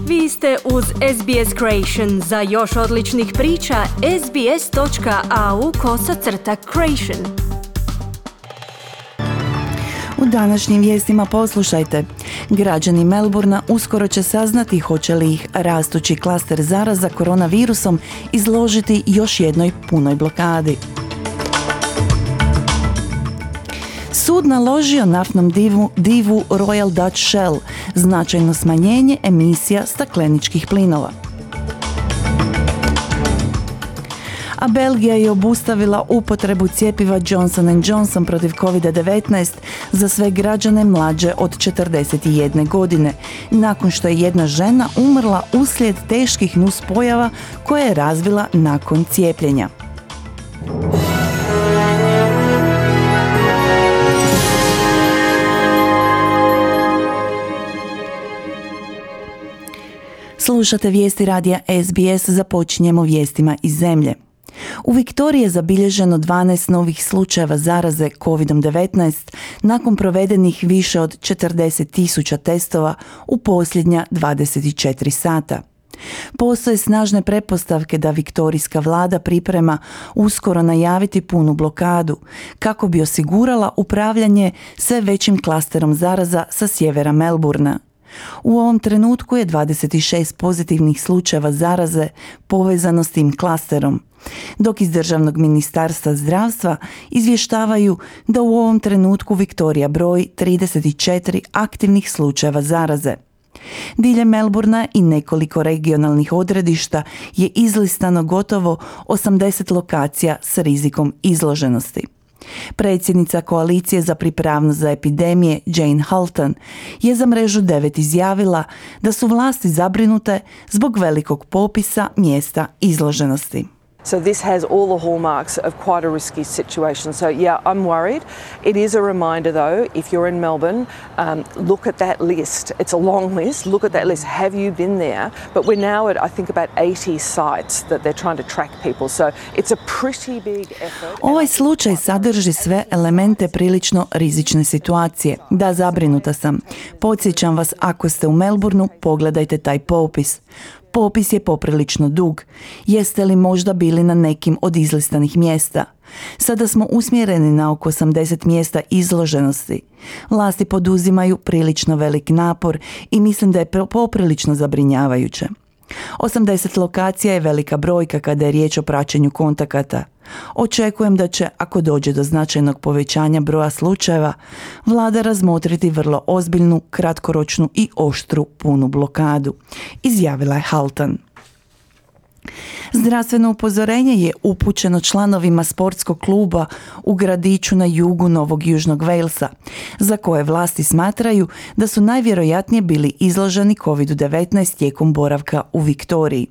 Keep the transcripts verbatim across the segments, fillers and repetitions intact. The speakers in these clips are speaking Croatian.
Vi ste uz S B S Creation. Za još odličnih priča, sbs.au kosacrta creation. U današnjim vijestima poslušajte. Građani Melbourna uskoro će saznati hoće li ih rastući klaster zaraza koronavirusom izložiti još jednoj punoj blokadi. Sud naložio naftnom divu, divu Royal Dutch Shell značajno smanjenje emisija stakleničkih plinova. A Belgija je obustavila upotrebu cjepiva Johnson and Johnson protiv covid devetnaest za sve građane mlađe od četrdeset jedne godine, nakon što je jedna žena umrla uslijed teških nuspojava koje je razvila nakon cijepljenja. Slušate vijesti radija S B S, započinjemo vijestima iz zemlje. U Viktoriji je zabilježeno dvanaest novih slučajeva zaraze covid devetnaest nakon provedenih više od četrdeset tisuća testova u posljednja dvadeset četiri sata. Postoje snažne pretpostavke da viktorijska vlada priprema uskoro najaviti punu blokadu kako bi osigurala upravljanje sve većim klasterom zaraza sa sjevera Melbourna. U ovom trenutku je dvadeset šest pozitivnih slučajeva zaraze povezano s tim klasterom, dok iz Državnog ministarstva zdravstva izvještavaju da u ovom trenutku Viktorija broji trideset četiri aktivnih slučajeva zaraze. Diljem Melbourna i nekoliko regionalnih odredišta je izlistano gotovo osamdeset lokacija s rizikom izloženosti. Predsjednica koalicije za pripravnost za epidemije Jane Halton je za mrežu devet izjavila da su vlasti zabrinute zbog velikog popisa mjesta izloženosti. So this has all the hallmarks of quite a risky situation. So yeah, I'm worried. It is a reminder though, if you're in Melbourne, um, look at that list. It's a long list. Look at that list. Have you been there? But we're now at, I think, about eighty sites that they're trying to track people. So it's a pretty big effort. Ovaj slučaj sadrži sve elemente prilično rizične situacije. Da, zabrinuta sam. Podsjećam vas, ako ste u Melbourneu, pogledajte taj popis. Popis je poprilično dug. Jeste li možda bili na nekim od izlistanih mjesta? Sada smo usmjereni na oko osamdeset mjesta izloženosti. Vlasti poduzimaju prilično velik napor i mislim da je poprilično zabrinjavajuće. osamdeset lokacija je velika brojka kada je riječ o praćenju kontakata. Očekujem da će, ako dođe do značajnog povećanja broja slučajeva, vlada razmotriti vrlo ozbiljnu, kratkoročnu i oštru punu blokadu, izjavila je Halton. Zdravstveno upozorenje je upućeno članovima sportskog kluba u gradiću na jugu Novog Južnog Walesa, za koje vlasti smatraju da su najvjerojatnije bili izloženi covid devetnaest tijekom boravka u Viktoriji.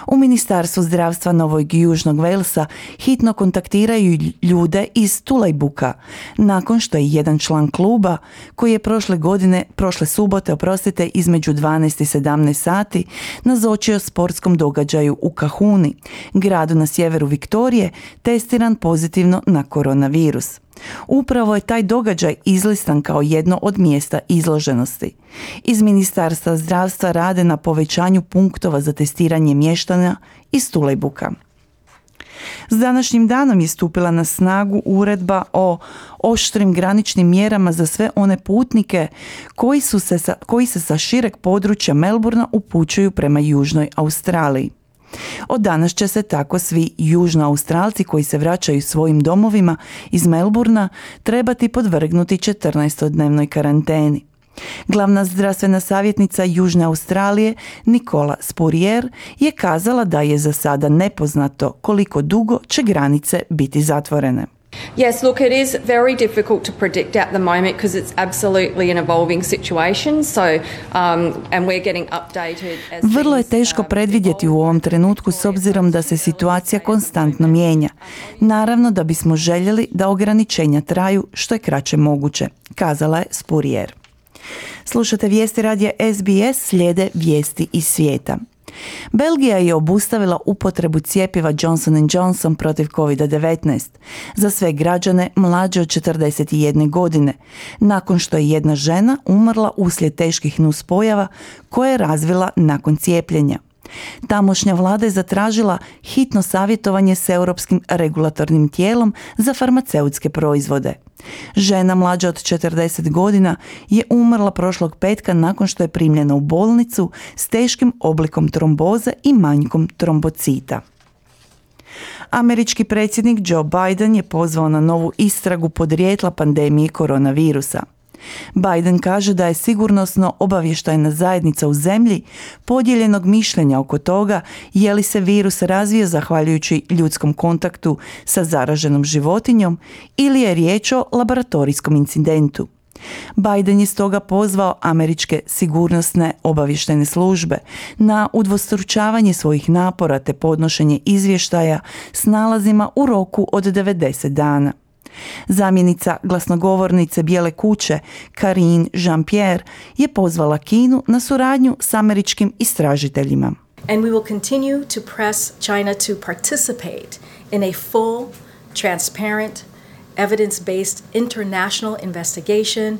U Ministarstvu zdravstva Novog Južnog Walesa hitno kontaktiraju ljude iz Tulejbuka, nakon što je jedan član kluba, koji je prošle godine, prošle subote, oprostite, između dvanaest i sedamnaest sati, nazočio sportskom događaju u Kahuni, gradu na sjeveru Viktorije, testiran pozitivno na koronavirus. Upravo je taj događaj izlistan kao jedno od mjesta izloženosti. Iz Ministarstva zdravstva rade na povećanju punktova za testiranje mještana iz Tulejbuka. S današnjim danom je stupila na snagu uredba o oštrim graničnim mjerama za sve one putnike koji, su se sa, koji se sa šireg područja Melbourna upućuju prema Južnoj Australiji. Od danas će se tako svi južnoaustralci koji se vraćaju svojim domovima iz Melbourna trebati podvrgnuti četrnaestodnevnoj karanteni. Glavna zdravstvena savjetnica Južne Australije Nicola Spurrier je kazala da je za sada nepoznato koliko dugo će granice biti zatvorene. Yes, look, it is very difficult to predict at the moment because it's absolutely an evolving situation. So, um, and we're getting updated as Vrlo je teško predvidjeti u ovom trenutku s obzirom da se situacija konstantno mijenja. Naravno da bismo željeli da ograničenja traju što je kraće moguće, kazala je Spurrier. Slušate vijesti radija S B S, slijede vijesti iz svijeta. Belgija je obustavila upotrebu cjepiva Johnson and Johnson protiv kovid devetnaest za sve građane mlađe od četrdeset jedne godine, nakon što je jedna žena umrla uslijed teških nuspojava koje je razvila nakon cijepljenja. Tamošnja vlada je zatražila hitno savjetovanje s Europskim regulatornim tijelom za farmaceutske proizvode. Žena mlađa od četrdeset godina je umrla prošlog petka nakon što je primljena u bolnicu s teškim oblikom tromboze i manjkom trombocita. Američki predsjednik Joe Biden je pozvao na novu istragu podrijetla pandemije koronavirusa. Biden kaže da je sigurnosno obavještajna zajednica u zemlji podijeljenog mišljenja oko toga je li se virus razvio zahvaljujući ljudskom kontaktu sa zaraženom životinjom ili je riječ o laboratorijskom incidentu. Biden je stoga pozvao američke sigurnosne obavještajne službe na udvostručavanje svojih napora te podnošenje izvještaja s nalazima u roku od devedeset dana. Zamjenica glasnogovornice Bijele kuće Karine Jean-Pierre je pozvala Kinu na suradnju s američkim istražiteljima. And we will continue to press China to participate in a full, transparent, evidence-based international investigation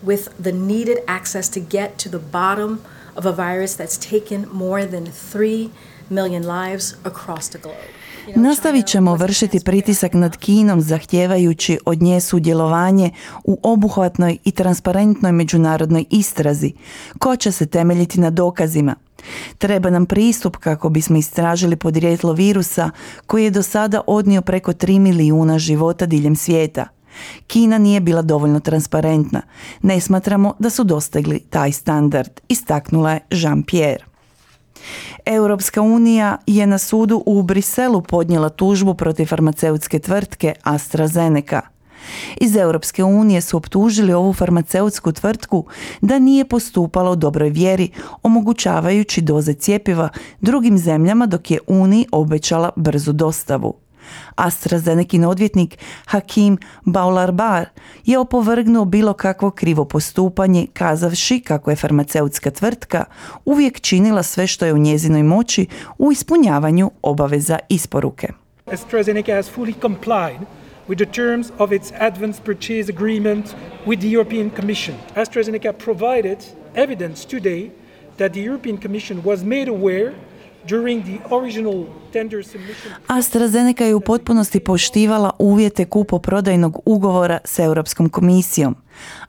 with the needed access to get to the bottom of a virus that's taken more than three million lives across the globe. Nastavit ćemo vršiti pritisak nad Kinom zahtijevajući od nje sudjelovanje u obuhvatnoj i transparentnoj međunarodnoj istrazi koja će se temeljiti na dokazima. Treba nam pristup kako bismo istražili podrijetlo virusa koji je do sada odnio preko tri milijuna života diljem svijeta. Kina nije bila dovoljno transparentna. Ne smatramo da su dostigli taj standard, istaknula je Jean-Pierre. Europska unija je na sudu u Briselu podnijela tužbu protiv farmaceutske tvrtke AstraZeneca. Iz Europske unije su optužili ovu farmaceutsku tvrtku da nije postupala u dobroj vjeri, omogućavajući doze cjepiva drugim zemljama dok je Uniji obećala brzu dostavu. AstraZenekin odvjetnik Hakim Baularbar je opovrgnuo bilo kakvo krivo postupanje kazavši kako je farmaceutska tvrtka uvijek činila sve što je u njezinoj moći u ispunjavanju obaveza isporuke. AstraZeneca has fully complied with the terms of its advance purchase agreement with the European Commission. AstraZeneca provided evidence today that the European Commission was made aware during the original tender submission. AstraZeneca je u potpunosti poštivala uvjete kupoprodajnog ugovora s Europskom komisijom.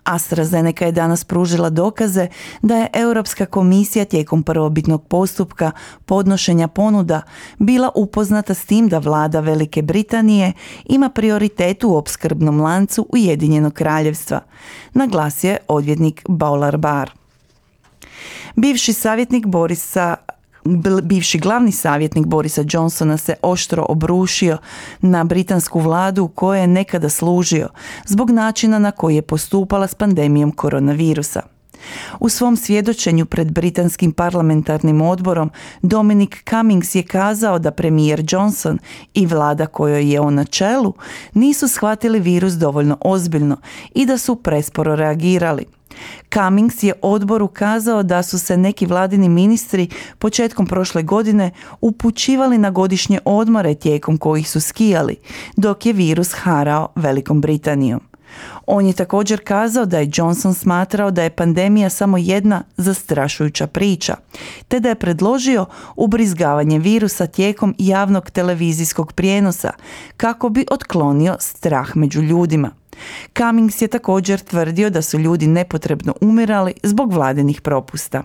AstraZeneca je danas pružila dokaze da je Europska komisija tijekom prvobitnog postupka podnošenja ponuda bila upoznata s tim da vlada Velike Britanije ima prioritet u opskrbnom lancu Ujedinjenog kraljevstva, naglasio je odvjetnik Baularbar. Bivši savjetnik Borisa Bivši glavni savjetnik Borisa Johnsona se oštro obrušio na britansku vladu kojoj je nekada služio zbog načina na koji je postupala s pandemijom koronavirusa. U svom svjedočenju pred britanskim parlamentarnim odborom Dominic Cummings je kazao da premijer Johnson i vlada kojoj je on na čelu nisu shvatili virus dovoljno ozbiljno i da su presporo reagirali. Cummings je odboru kazao da su se neki vladini ministri početkom prošle godine upućivali na godišnje odmore tijekom kojih su skijali, dok je virus harao Velikom Britanijom. On je također kazao da je Johnson smatrao da je pandemija samo jedna zastrašujuća priča, te da je predložio ubrizgavanje virusa tijekom javnog televizijskog prijenosa kako bi otklonio strah među ljudima. Cummings je također tvrdio da su ljudi nepotrebno umirali zbog vladinih propusta.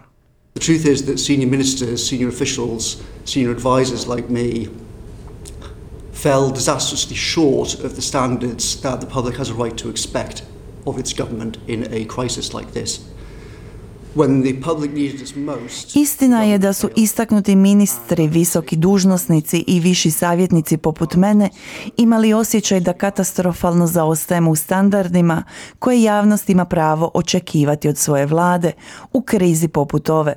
The truth is that senior ministers, senior officials, senior advisors like me fell disastrously short of the standards that the public has a right to expect of its government in a crisis like this. When the public needed us most. Istina je da su istaknuti ministri, visoki dužnosnici i viši savjetnici poput mene imali osjećaj da katastrofalno zaostajemo u standardima koje javnost ima pravo očekivati od svoje vlade u krizi poput ove.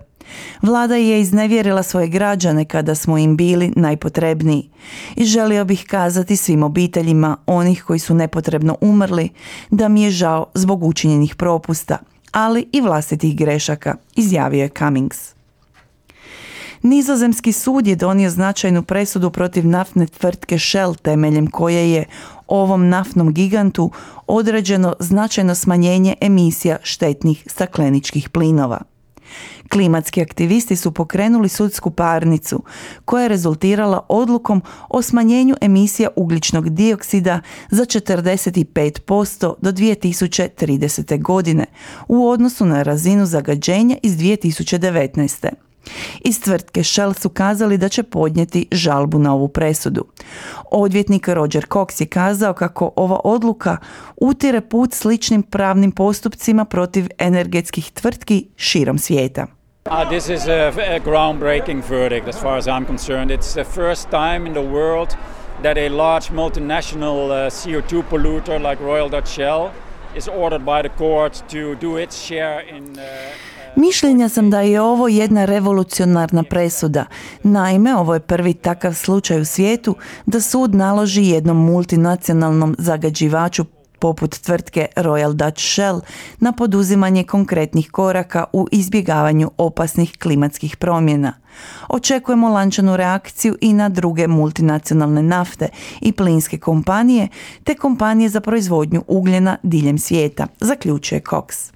Vlada je iznevjerila svoje građane kada smo im bili najpotrebniji i želio bih kazati svim obiteljima onih koji su nepotrebno umrli da mi je žao zbog učinjenih propusta, ali i vlastitih grešaka, izjavio je Cummings. Nizozemski sud je donio značajnu presudu protiv naftne tvrtke Shell, temeljem koje je ovom naftnom gigantu određeno značajno smanjenje emisija štetnih stakleničkih plinova. Klimatski aktivisti su pokrenuli sudsku parnicu koja je rezultirala odlukom o smanjenju emisija ugljičnog dioksida za četrdeset pet posto do dvije tisuće tridesete. godine u odnosu na razinu zagađenja iz dvije tisuće devetnaeste. Iz tvrtke Shell su kazali da će podnijeti žalbu na ovu presudu. Odvjetnik Roger Cox je kazao kako ova odluka utire put sličnim pravnim postupcima protiv energetskih tvrtki širom svijeta. Uh, this is a, a groundbreaking verdict as far as I'm concerned. It's the first time in the world that a large multinational uh, C O two polluter like Royal Dutch Shell is ordered by the court to do its share in uh, Mišljenja sam da je ovo jedna revolucionarna presuda. Naime, ovo je prvi takav slučaj u svijetu da sud naloži jednom multinacionalnom zagađivaču poput tvrtke Royal Dutch Shell na poduzimanje konkretnih koraka u izbjegavanju opasnih klimatskih promjena. Očekujemo lančanu reakciju i na druge multinacionalne nafte i plinske kompanije te kompanije za proizvodnju ugljena diljem svijeta, zaključuje Cox.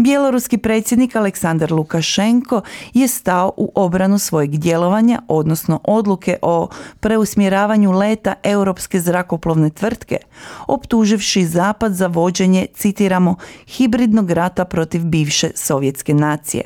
Bjeloruski predsjednik Aleksandar Lukašenko je stao u obranu svojeg djelovanja, odnosno odluke o preusmjeravanju leta europske zrakoplovne tvrtke, optuživši Zapad za vođenje, citiramo, hibridnog rata protiv bivše sovjetske nacije.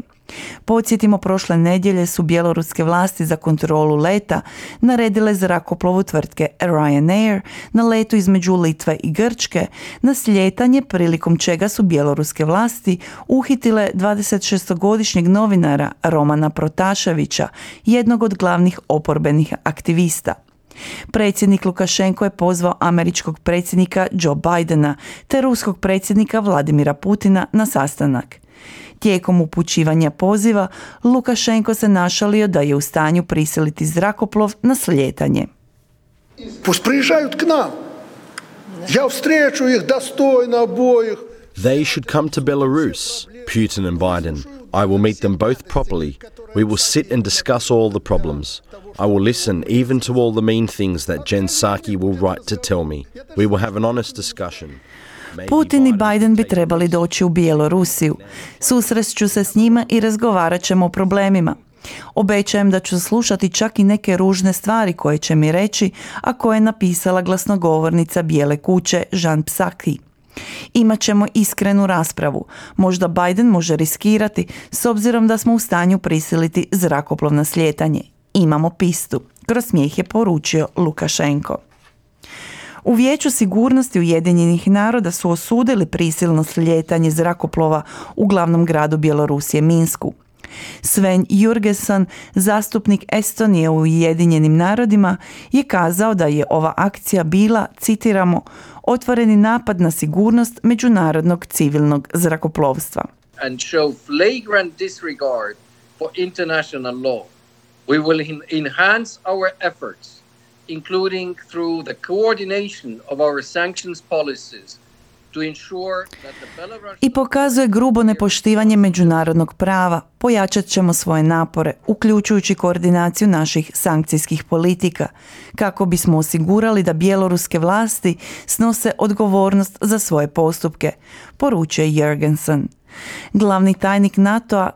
Podsjetimo, prošle nedjelje su bjeloruske vlasti za kontrolu leta naredile zrakoplovu tvrtke Ryanair na letu između Litve i Grčke na slijetanje, prilikom čega su bjeloruske vlasti uhitile dvadesetšestogodišnjeg novinara Romana Protaševića, jednog od glavnih oporbenih aktivista. Predsjednik Lukašenko je pozvao američkog predsjednika Joe Bidena te ruskog predsjednika Vladimira Putina na sastanak. Tijekom upućivanja poziva, Lukašenko se našalio da je u stanju prisiliti zrakoplov na slijetanje. Pust priježaju k nam. Ja vstreću ih dostojno obojih. They should come to Belarus, Putin and Biden. I will meet them both properly. We will sit and discuss all the problems. I will listen even to all the mean things that Jen Psaki will write to tell me. We will have an honest discussion. Putin i Biden bi trebali doći u Bjelorusiju. Susrest se s njima i razgovarat ćemo o problemima. Obećajem da ću slušati čak i neke ružne stvari koje će mi reći, a koje je napisala glasnogovornica Bijele kuće Jen Psaki. Imaćemo iskrenu raspravu. Možda Biden može riskirati s obzirom da smo u stanju prisiliti zrakoplov na slijetanje. Imamo pistu. Kroz smijeh je poručio Lukašenko. U Vijeću sigurnosti Ujedinjenih naroda su osudili prisilno slijetanje zrakoplova u glavnom gradu Bjelorusije Minsku. Sven Jurgenson, zastupnik Estonije u Ujedinjenim narodima, je kazao da je ova akcija bila, citiramo, otvoreni napad na sigurnost međunarodnog civilnog zrakoplovstva. And show flagrant disregard for international law. We will enhance our efforts, including through the coordination of our sanctions policies, to ensure that the Belarusian... I pokazuje grubo nepoštivanje međunarodnog prava. Pojačat ćemo svoje napore, uključujući koordinaciju naših sankcijskih politika, kako bismo osigurali da bjeloruske vlasti snose odgovornost za svoje postupke, poručuje Jurgenson. Glavni tajnik NATO-a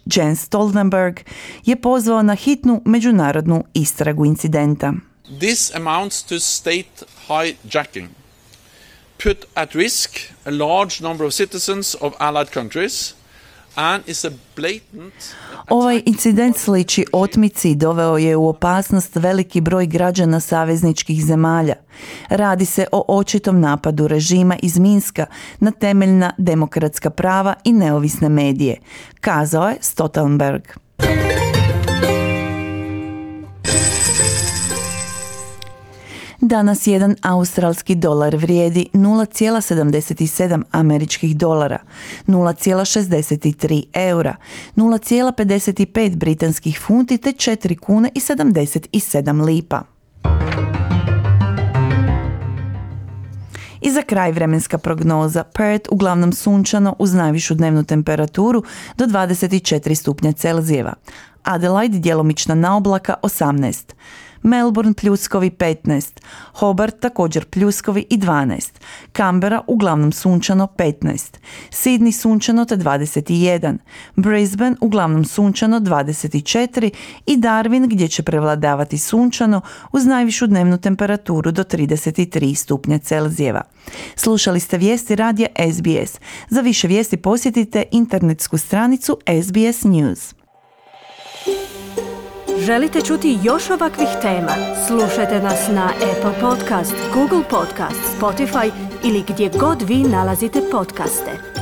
Jens Stoltenberg je pozvao na hitnu međunarodnu istragu incidenta. This amounts to state hijacking, put at risk a large number of citizens of allied countries and is a blatant... Ovaj incident sliči otmici i doveo je u opasnost veliki broj građana savezničkih zemalja. Radi se o očitom napadu režima iz Minska na temeljna demokratska prava i neovisne medije, kazao je Stoltenberg. Danas jedan australski dolar vrijedi nula zarez sedamdeset sedam američkih dolara, nula zarez šezdeset tri eura, nula zarez pedeset pet britanskih funti te četiri kune i sedamdeset sedam lipa. I za kraj vremenska prognoza. Perth uglavnom sunčano uz najvišu dnevnu temperaturu do dvadeset četiri stupnja Celzijeva. Adelaide djelomična naoblaka osamnaest, Melbourne pljuskovi petnaest, Hobart također pljuskovi i dvanaest, Canberra uglavnom sunčano petnaest, Sydney sunčano te dvadeset jedan, Brisbane uglavnom sunčano dvadeset četiri i Darwin gdje će prevladavati sunčano uz najvišu dnevnu temperaturu do trideset tri stupnja Celzijeva. Slušali ste vijesti radija S B S. Za više vijesti posjetite internetsku stranicu S B S News. Želite čuti još ovakvih tema? Slušajte nas na Apple Podcast, Google Podcast, Spotify ili gdje god vi nalazite podcaste.